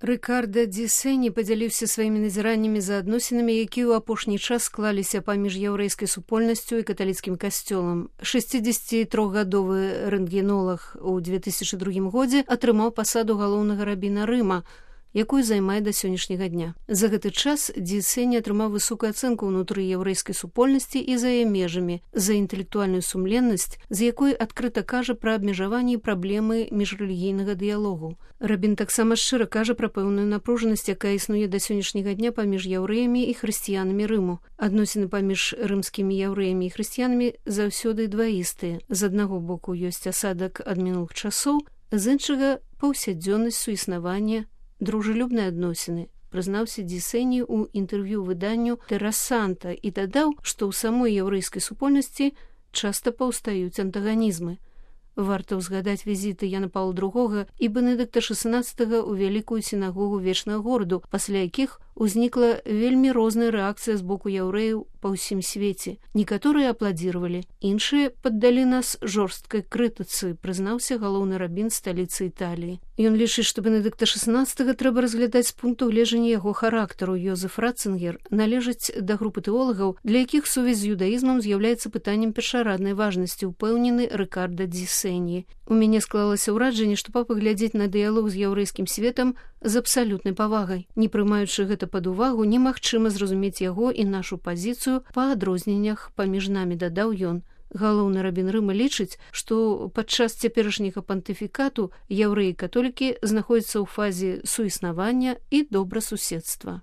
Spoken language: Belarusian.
Рыкарда ді Сэні падзяліўся сваімі назіраннямі за адносінамі, якія ў апошні час склаліся паміж яўрэйскай супольнасцю і каталіцкім касцёлам. 63гадовы рэнтгенолаг у 2002 годзе атрымаў пасаду галоўнага рабіна Рыма, якую займае да сённяшняга дня. За гэты час ді Сэні атрымаў высокую ацэнку ўнутры яўрэйскай супольнасці і за яе межамі, за інтэлектуальную сумленнасць, з якой адкрыта кажа пра абмежаванні і праблемы міжрэлігійнага дыялогу. Рабін таксама шчыра кажа пра пэўную напружанасць, якая існуе да сённяшняга дня паміж яўрэямі і хрысціянамі Рыму. Адносіны паміж рымскімі яўрэямі і хрысціянамі заўсёды дваістыя. З аднаго боку ёсць асадак ад мінулых часоў, з іншага паўсядзённасць суіснавання, дружелюбныя адносіны, прызнаўся ді Сэні ў інтэрв'ю выданню «Тэрасанта» і дадаў, што ў самой яўрэйскай супольнасці часта паўстаюць антаганізмы. Варта ўзгадаць візіты Яна Паўла II і Бенедыкта XVI ў вялікую сінагогу вечнага гораду, пасля якіх узнікла вельмі розная рэакцыя з боку яўрэяў па ўсім свеце. Некаторыя апладзіравалі, іншыя паддалі нас жорсткай крытыцы, прызнаўся галоўны рабін сталіцы Італіі. Ён лічыць, што Бенедыкта XVI трэба разглядаць з пункту гледжання яго характару. Йозеф Ратцынгер належыць да групы тэолагаў, для якіх сувязь з юдаізмам з'яўляецца пытаннем першараднай важнасці, упэўнены Рыкарда ді Сэні. У мяне склалася ўражанне, што папа глядзець на дыялог з яўрэйскім светам з абсалютнай павагай. Не прымаючы гэта пад увагу, немагчыма зразумець яго і нашу пазіцыю па адрозненнях паміж намі, дадаў ён. Галоўны рабін Рыма лічыць, што падчас цяперашняга пантыфікату яўрэі і католікі знаходзяцца ў фазе суіснавання і добрасуседства.